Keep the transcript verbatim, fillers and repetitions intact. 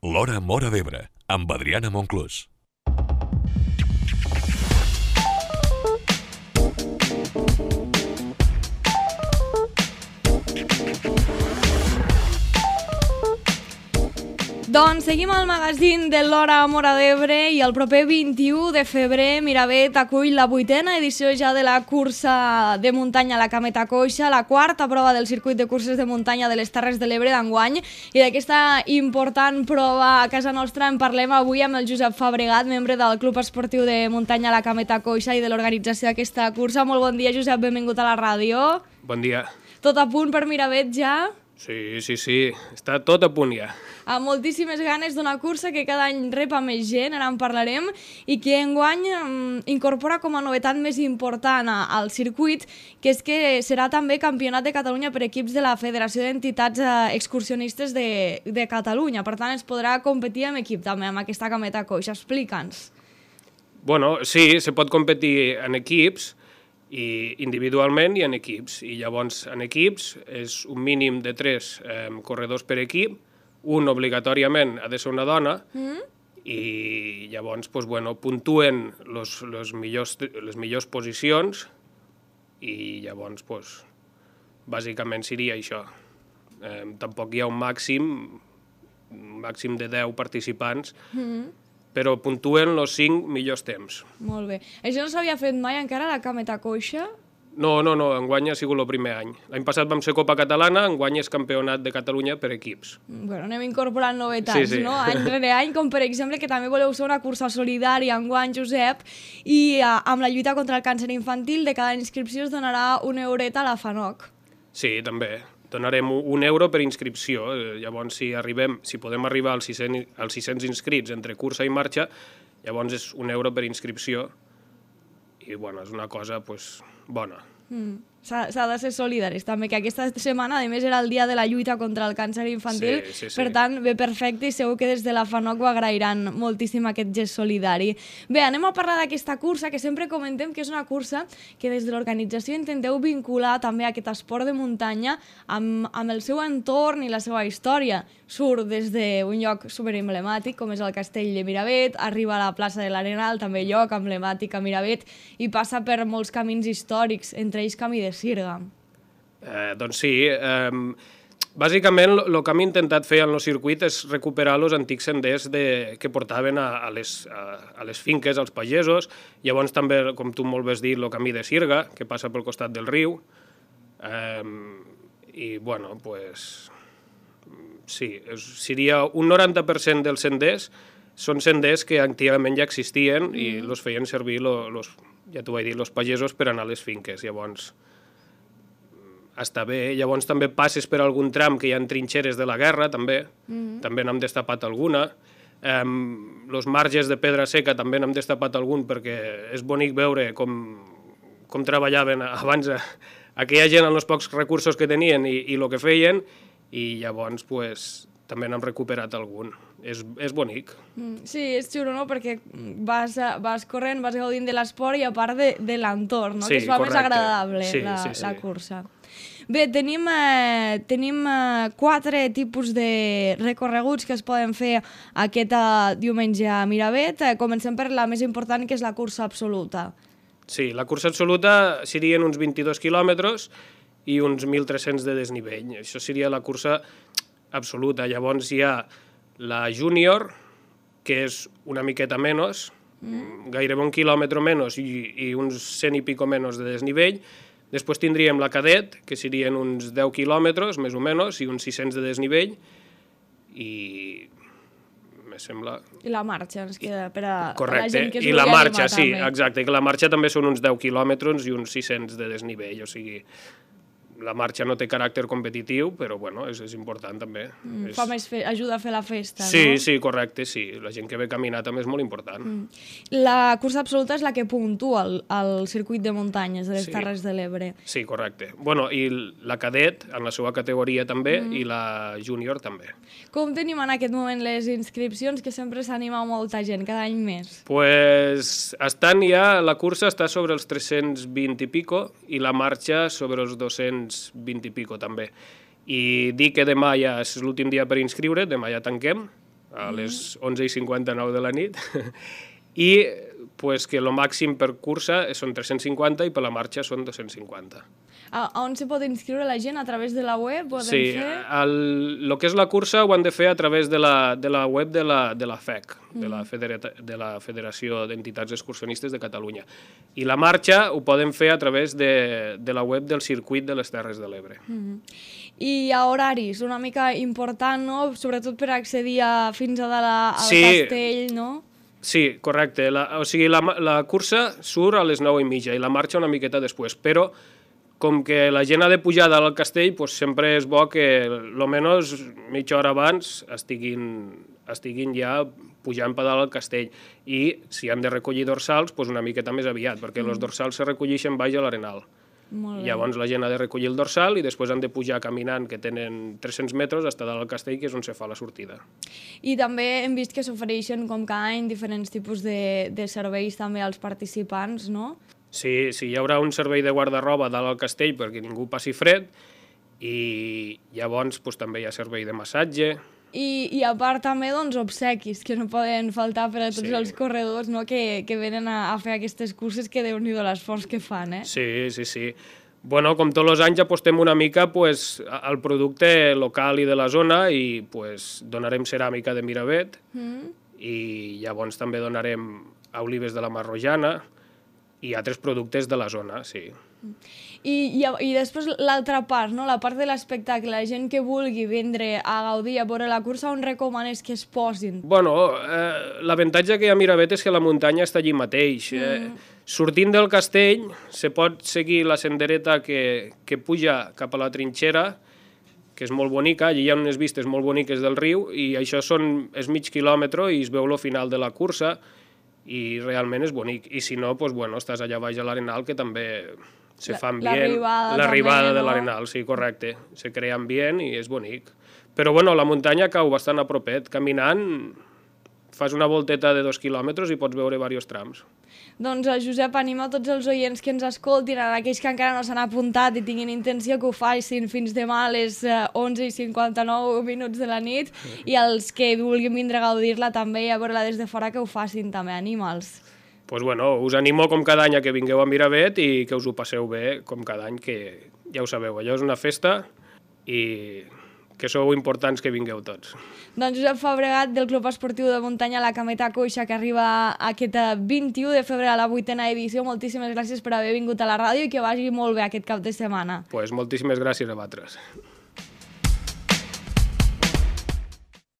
L'Hora Móra d'Ebre, amb Adriana Monclús. Doncs seguim al magazín de l'Hora Móra d'Ebre i el proper vint-i-u de febrer Miravet acull la vuitena edició ja de la cursa de muntanya a la Cameta Coixa, la quarta prova del circuit de curses de muntanya de les Terres de l'Ebre d'enguany, i d'aquesta important prova a casa nostra en parlem avui amb el Josep Fabregat, membre del Club Esportiu de Muntanya a la Cameta Coixa i de l'organització d'aquesta cursa. Molt bon dia, Josep, benvingut a la ràdio. Bon dia. Tot a punt per Miravet ja? Sí, sí, sí, està tot a punt ja. Amb moltíssimes ganes d'una cursa que cada any rep a més gent, ara en parlarem, i que enguany um, incorpora com a novetat més important a, al circuit, que és que serà també campionat de Catalunya per equips de la Federació d'Entitats eh, Excursionistes de, de Catalunya. Per tant, es podrà competir amb equip també, amb aquesta Cameta Coixa. Explica'ns. Bueno, sí, se pot competir en equips, i individualment i en equips. I llavors, en equips, és un mínim de tres eh, corredors per equip, un obligatòriament ha de ser una dona, mm. i llavors pues, bueno, puntuen los, los millors, les millors posicions, i llavors, pues, bàsicament seria això. Eh, tampoc hi ha un màxim, un màxim de deu participants, mm. però puntuen els cinc millors temps. Molt bé. Això no s'havia fet mai encara a la Cameta Coixa? No, no, no, enguany ha sigut el primer any. L'any passat vam ser Copa Catalana, enguany és Campionat de Catalunya per equips. Bueno, anem incorporant novetats, sí, sí. no? Any rere any, com per exemple que també voleu fer una cursa solidària enguany, Josep, i uh, amb la lluita contra el càncer infantil, de cada inscripció es donarà una eureta a la FANOC. Sí, també. Donarem un euro per inscripció. Llavors, si arribem, si podem arribar als sis-cents inscrits entre cursa i marxa, llavors és un euro per inscripció. I, bueno, és una cosa, pues, bona. Mm. S'ha de ser solidaris també, que aquesta setmana a més era el dia de la lluita contra el càncer infantil, sí, sí, sí. Per tant, bé, perfecte, i segur que des de la FANOC ho agrairan moltíssim aquest gest solidari. Bé, anem a parlar d'aquesta cursa, que sempre comentem que és una cursa que des de l'organització intenteu vincular també aquest esport de muntanya amb, amb el seu entorn i la seva història. Surt des d'un lloc superemblemàtic, com és el Castell de Miravet, arriba a la plaça de l'Arenal, també lloc emblemàtic a Miravet, i passa per molts camins històrics, entre ells camí de Sirga. Eh, doncs sí, eh, bàsicament el que hem intentat fer en el circuit és recuperar els antics senders de, que portaven a, a, les, a, a les finques, als pagesos, llavors també, com tu molt bé has dit, el camí de Sirga, que passa pel costat del riu, eh, i bueno, pues, sí, seria un noranta per cent dels senders són senders que antigament ja existien mm. i els feien servir, lo, los, ja t'ho vaig dir, els pagesos per anar a les finques, llavors està bé. Llavors també passes per algun tram que hi ha trinxeres de la guerra, també, mm. també n'hem destapat alguna. Els um, marges de pedra seca també n'hem destapat algun, perquè és bonic veure com, com treballaven abans a, aquella gent amb els pocs recursos que tenien i, i el que feien, i llavors pues, també n'hem recuperat algun. És, és bonic. Mm, sí, és xulo, no? Perquè vas, vas corrent, vas gaudint de l'esport i a part de, de l'entorn, no? Sí, que es fa correcte. Més agradable sí, la, sí, sí. la cursa. Bé, tenim, eh, tenim eh, quatre tipus de recorreguts que es poden fer aquest eh, diumenge a Miravet. Eh, comencem per la més important, que és la cursa absoluta. Sí, la cursa absoluta serien uns vint-i-dos quilòmetres i uns mil tres-cents de desnivell. Això seria la cursa absoluta. Llavors hi ha la júnior, que és una miqueta menys, mm. gairebé un quilòmetre menys i, i uns cent i pico menys de desnivell. Després tindríem la cadet, que serien uns deu quilòmetres, més o menys, i uns sis-cents de desnivell, i me sembla... I la marxa, ens queda per a, Correcte. Per a la gent que es I la marxa, animar, sí, també. exacte, que la marxa també són uns deu quilòmetres i uns sis-cents de desnivell, o sigui... La marxa no té caràcter competitiu, però bueno, és, és important també. Mm, és... fa més fe... Ajuda a fer la festa, sí, no? Sí, sí, correcte, sí. La gent que ve a caminar també és molt important. Mm. La cursa absoluta és la que puntua el, el circuit de muntanyes de les sí. Terres de l'Ebre. Sí, correcte. Bueno, i la cadet, en la seva categoria també, mm. i la júnior també. Com tenim en aquest moment les inscripcions, que sempre s'anima molta gent, cada any més? Pues estan ja, la cursa està sobre els tres-cents vint i pico i la marxa sobre els dos-cents vint i pico també. I dir que demà ja és l'últim dia per inscriure, demà ja tanquem a les onze i cinquanta-nou de la nit, i pues, que el màxim per cursa són tres-cents cinquanta i per la marxa són dos-cents cinquanta. A, a on se pot inscriure la gent? A través de la web? Poden Sí, fer? el, el que és la cursa ho han de fer a través de la, de la web de la, de la F E C, de la, Federa, de la Federació d'Entitats Excursionistes de Catalunya. I la marxa ho poden fer a través de, de la web del Circuit de les Terres de l'Ebre. Mm-hmm. I a horaris, una mica important, no? Sobretot per accedir a, fins a dalt al Sí. castell, no? Sí, correcte. La, o sigui, la, la cursa surt a les nou i mitja i la marxa una miqueta després, però com que la gent ha de pujar dalt al castell, doncs sempre és bo que almenys mitja hora abans estiguin, estiguin ja pujant per dalt al castell. I si han de recollir dorsals, doncs una miqueta més aviat, perquè els dorsals se recolleixen baix a l'Arenal. Molt bé. Llavors la gent ha de recollir el dorsal i després han de pujar caminant, que tenen tres-cents metres, fins dalt al castell, que és on se fa la sortida. I també hem vist que s'ofereixen, com cada any, diferents tipus de, de serveis també als participants, no? Sí, sí, hi haurà un servei de guarda-roba dalt al castell perquè ningú passi fred i llavors doncs, també hi ha servei de massatge. I, i a part també doncs, obsequis, que no poden faltar per a tots Sí. els corredors, no? que, que venen a, a fer aquestes curses, que Déu-n'hi-do l'esforç que fan, eh? Sí, sí, sí. Bueno, com tots els anys apostem una mica pues, al producte local i de la zona i pues, donarem ceràmica de Miravet Mm. i llavors també donarem olives de la Marrojana i altres productes de la zona, sí. I, i, I després l'altra part, no? La part de l'espectacle, la gent que vulgui vindre a gaudir, a veure la cursa, on recomanes que es posin? Bueno, eh, l'avantatge que hi ha a Miravet és que la muntanya està allí mateix. Mm. Eh, sortint del castell se pot seguir la sendereta que, que puja cap a la trinxera, que és molt bonica, allí hi ha unes vistes molt boniques del riu i això són, és mig quilòmetre i es veu el final de la cursa i realment és bonic. I si no, doncs, bueno, estàs allà baix a l'Arenal, que també se La- fa ambient. l'arribada L'arribada també, de no? l'Arenal, sí, correcte. Se crea ambient i és bonic. Però bueno, la muntanya cau bastant a propet. Caminant fas una volteta de dos quilòmetres i pots veure diversos trams. Doncs, eh, Josep, anima tots els oients que ens escoltin, a aquells que encara no s'han apuntat i tinguin intenció que ho facin fins demà a les eh, onze i cinquanta-nou minuts de la nit, i els que vulguin vindre a gaudir-la també i a veure-la des de fora que ho facin també, anima'ls. Pues bueno, us animo com cada any a que vingueu a Miravet i que us ho passeu bé com cada any, que ja ho sabeu, allò és una festa i que sou importants que vingueu tots. Doncs Josep Fabregat, del Club Esportiu de Muntanya La Cameta Coixa, que arriba aquest vint-i-u de febrer a la vuitena edició. Moltíssimes gràcies per haver vingut a la ràdio i que vagi molt bé aquest cap de setmana. Pues moltíssimes gràcies a vosaltres.